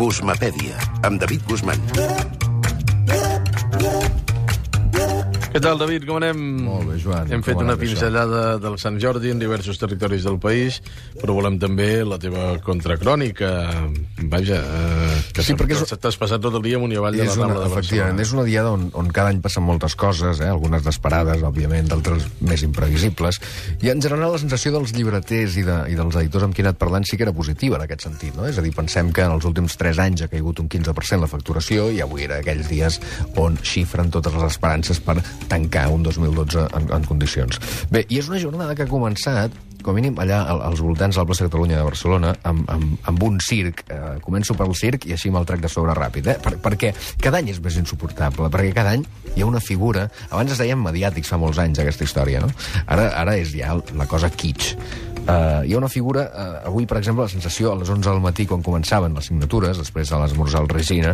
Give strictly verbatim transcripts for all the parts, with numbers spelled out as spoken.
Guzmapèdia, amb David Guzmán. Què tal, David? Com anem? Molt bé, Joan. Hem fet Com una anem, pinzellada del Sant Jordi en diversos territoris del país, però volem també la teva contracrònica. Vaja, eh, que Sí, perquè és- t'has passat tot el dia amunt i avall de la És una, Rambla de efectivament, Barcelona. és una diada on, on cada any passen moltes coses, eh? Algunes desesperades, òbviament, d'altres més imprevisibles, i en general la sensació dels llibreters i, de, i dels editors amb qui he anat parlant sí que era positiva en aquest sentit, no? És a dir, pensem que en els últims tres anys ha caigut un quinze per cent la facturació i avui era aquells dies on xifren totes les esperances per tancar un dos mil dotze en, en condicions. Bé, i és una jornada que ha començat com a mínim allà als voltants de la plaça Catalunya de Barcelona, amb, amb, amb un circ. Eh, començo pel circ i així me'l trec de sobre ràpid, eh? Per, perquè cada any és més insuportable, perquè cada any hi ha una figura... Abans es deien mediàtics fa molts anys, aquesta història, no? Ara, ara és ja la cosa kitsch. Uh, hi ha una figura, uh, avui, per exemple, la sensació a les onze del matí, quan començaven les signatures, després de l'esmorzar al Regina,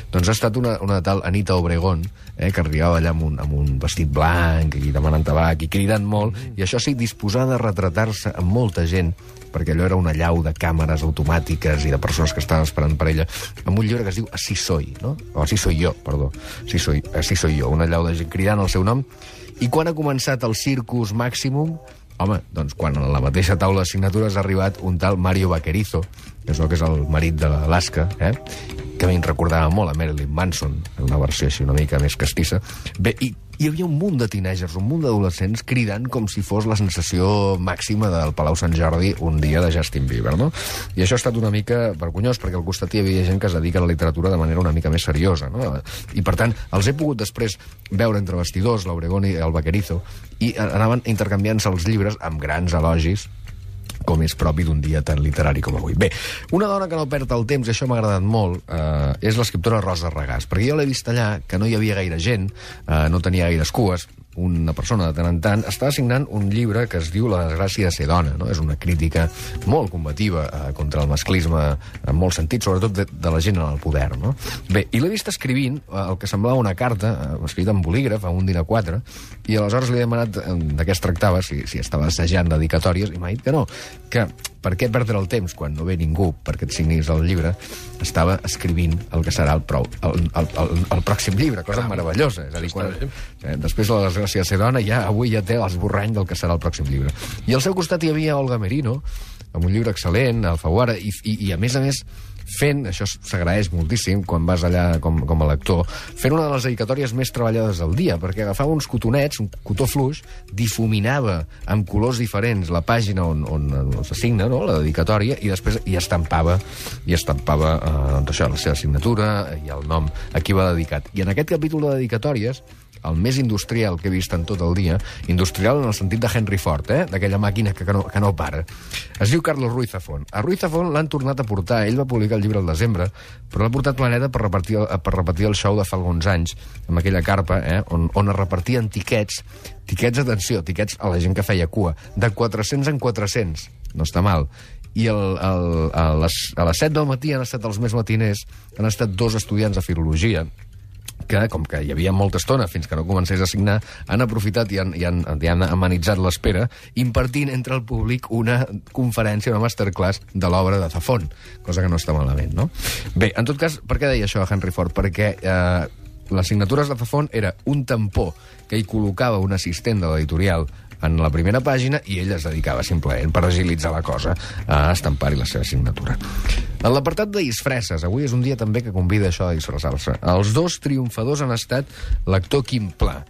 doncs ha estat una, una tal Anita Obregón, eh, que arribava allà amb un, amb un vestit blanc i demanant tabac i cridant molt, i això sí, disposada a retratar-se amb molta gent, perquè allò era una llau de càmeres automàtiques i de persones que estaven esperant per ella, amb un llibre que es diu Así soy, no? O Así soy yo, perdó. Así soy, Así soy yo, una llau de gent cridant el seu nom. I quan ha començat el Circus Maximum? Home, doncs quan a la mateixa taula de signatures ha arribat un tal Mario Vaquerizo, que és el que és el marit de l'Alaska, eh? que a mi em recordava molt a Marilyn Manson, en una versió així una mica més castissa. Bé, i hi havia un munt de teenagers, un munt d'adolescents cridant com si fos la sensació màxima del Palau Sant Jordi un dia de Justin Bieber, no? I això ha estat una mica vergonyós, perquè al costat hi havia gent que es dedica a la literatura de manera una mica més seriosa, no? I, per tant, els he pogut després veure entre vestidors, l'Obregón i el Vaquerizo, i anaven intercanviant-se els llibres amb grans elogis, com és propi d'un dia tan literari com avui. Bé, una dona que no perd el temps, i això m'ha agradat molt, eh, és l'escriptora Rosa Regàs, perquè jo l'he vist allà, que no hi havia gaire gent, eh, no tenia gaires cues, una persona de tant en tant, estava signant un llibre que es diu La desgràcia de ser dona, no? És una crítica molt combativa eh, contra el masclisme en molt sentit, sobretot de, de la gent en el poder, no? Bé, i l'he vist escrivint eh, el que semblava una carta, eh, escrita en bolígraf, a un dinar quatre, i aleshores li he demanat eh, de què es tractava, si, si estava assajant dedicatòries, i m'ha dit que no, que per què perdre el temps quan no ve ningú perquè et signis el llibre, estava escrivint el que serà el, prou, el, el, el, el pròxim llibre, cosa meravellosa. És a dir, quan, eh, després de la desgràcia de ser dona, ja, avui ja té l'esborrany del que serà el pròxim llibre. I al seu costat hi havia Olga Merino, amb un llibre excel·lent, Alfaguara, i, i, i a més a més fent, això s'agraeix moltíssim quan vas allà com, com a lector, fent una de les dedicatòries més treballades del dia, perquè agafava uns cotonets, un cotó fluix, difuminava amb colors diferents la pàgina on, on, on s'assigna, no?, la dedicatòria, i després hi estampava, hi estampava eh, doncs això, la seva signatura i el nom a qui va dedicat. I en aquest capítol de dedicatòries, el més industrial que he vist en tot el dia, industrial en el sentit de Henry Ford, eh? D'aquella màquina que, que, no, que no para. Es diu Carlos Ruiz Zafón. A Ruiz Zafón l'han tornat a portar, ell va publicar el llibre al desembre, però l'ha portat Planeta per repartir, per repetir el show de fa alguns anys, amb aquella carpa, eh? on, on es repartien tiquets, tiquets, atenció, tiquets a la gent que feia cua, de quatre-cents en quatre-cents, no està mal. I el, el, a, les, a les set del matí han estat els més matiners, han estat dos estudiants de filologia, que, com que hi havia molta estona fins que no comencés a signar, han aprofitat i han, i han, i han amenitzat l'espera impartint entre el públic una conferència, una masterclass de l'obra de Zafón, cosa que no està malament, no? Bé, en tot cas, per què deia això a Henry Ford? Perquè eh, les signatures de Zafón era un tampó que hi col·locava un assistent de l'editorial en la primera pàgina i ell es dedicava simplement per agilitzar la cosa a estampar-hi la seva signatura. En l'apartat de disfresses, avui és un dia també que convida això a disfressar-se. Els dos triomfadors han estat l'actor Quim Pla.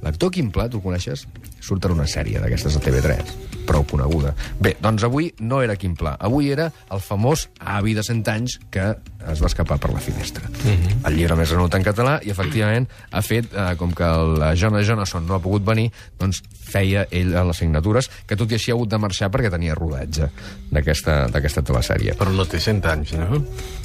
L'actor Quim Pla, tu el coneixes? Surt en una sèrie d'aquestes de T V tres, prou coneguda. Bé, doncs avui no era Quim Pla, avui era el famós avi de cent anys que es va escapar per la finestra. Uh-huh. El llibre més venut en català i, efectivament, ha fet, eh, com que el Jonas Jonasson no ha pogut venir, doncs feia ell a les signatures, que tot i així ha hagut de marxar perquè tenia rodatge d'aquesta telesèrie. Però no té cent anys, no? No,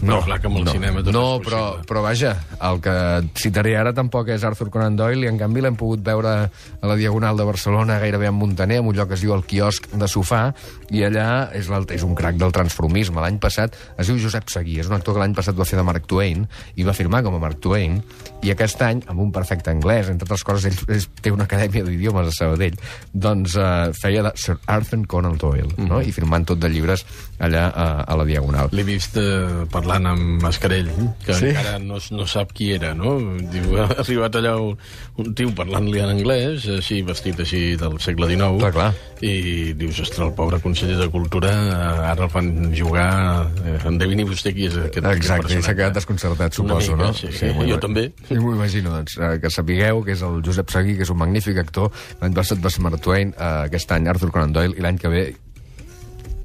no clar que amb el no, cinema tot no, és però, possible. però vaja, el que citaré ara tampoc és Arthur Conan Doyle, i en canvi l'hem pogut veure a la Diagonal de Barcelona, gairebé en Muntaner, en un lloc que es diu El Quiosc, quiosc de sofà, i allà és, és un crac del transformisme. L'any passat es diu Josep Seguí, és un actor que l'any passat va fer de Mark Twain, i va firmar com a Mark Twain, i aquest any, amb un perfecte anglès, entre altres coses, ell, ell té una acadèmia d'idiomes a Sabadell, doncs eh, feia de Sir Arthur Conan Doyle, mm -hmm. no? I firmant tot de llibres allà a, a la Diagonal. L'he vist eh, parlant amb Mascarell, que sí? encara no, no sap qui era, no? Diu, ha arribat allà un, un tio parlant-li en anglès, així, vestit així del segle dinou, clar, clar. I dius, ostres, el pobre conseller de Cultura, ara el fan jugar... Eh, endevini vostè qui és aquest, Exacte, aquest s'ha quedat desconcertat, suposo, mica, no? Sí, sí, jo també. I m'ho imagino, doncs, que sapigueu que és el Josep Seguí, que és un magnífic actor. L'any passat va ser Mark Twain, aquest any Arthur Conan Doyle, i l'any que ve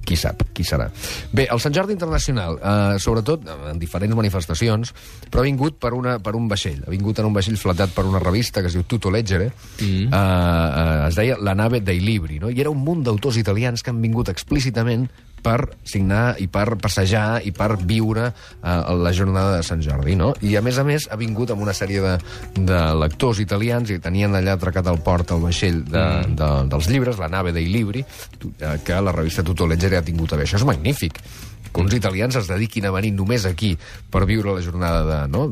qui sap, qui serà. Bé, el Sant Jordi Internacional, eh, sobretot en diferents manifestacions, però ha vingut per, una, per un vaixell. Ha vingut en un vaixell flatat per una revista que es diu Tutto Leggere, mm. eh, eh, es deia La nave dei libri, no? I era un munt d'autors italians que han vingut explícitament per signar i per passejar i per viure eh, la jornada de Sant Jordi, no? I, a més a més, ha vingut amb una sèrie de, de lectors italians i tenien allà atracat al port el vaixell de, mm. de, dels llibres, La nave dei libri, eh, que la revista Tutto Leggere ha tingut a bé. Això és magnífic, que uns italians es dediquin a venir només aquí per viure la jornada de, no?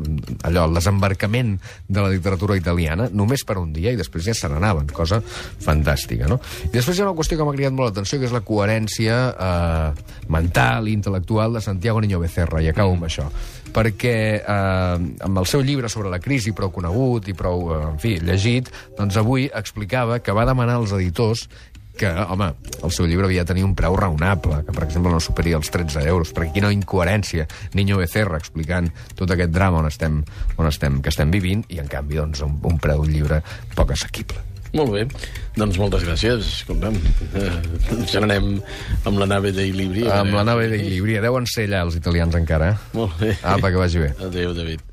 allò, el desembarcament de la literatura italiana, només per un dia, i després ja se n'anaven, cosa fantàstica, no? I després hi ha una qüestió que m'ha cridat molt l'atenció, que és la coherència eh, mental i intel·lectual de Santiago Niño Becerra, i acabo amb això, perquè eh, amb el seu llibre sobre la crisi, prou conegut i prou, eh, en fi, llegit, doncs avui explicava que va demanar als editors que, home, el seu llibre havia de tenir un preu raonable, que, per exemple, no superi els tretze euros, perquè quina incoherència, Niño Becerra explicant tot aquest drama on estem, on estem, que estem vivint, i, en canvi, doncs, un, un preu d'un llibre poc assequible. Molt bé, doncs moltes gràcies. Escolta'm, eh, ens n'anem amb la nave dei libri. Amb la nave dei libri. Deuen ser allà els italians encara. Molt bé. Apa, que vagi bé. Adéu, David.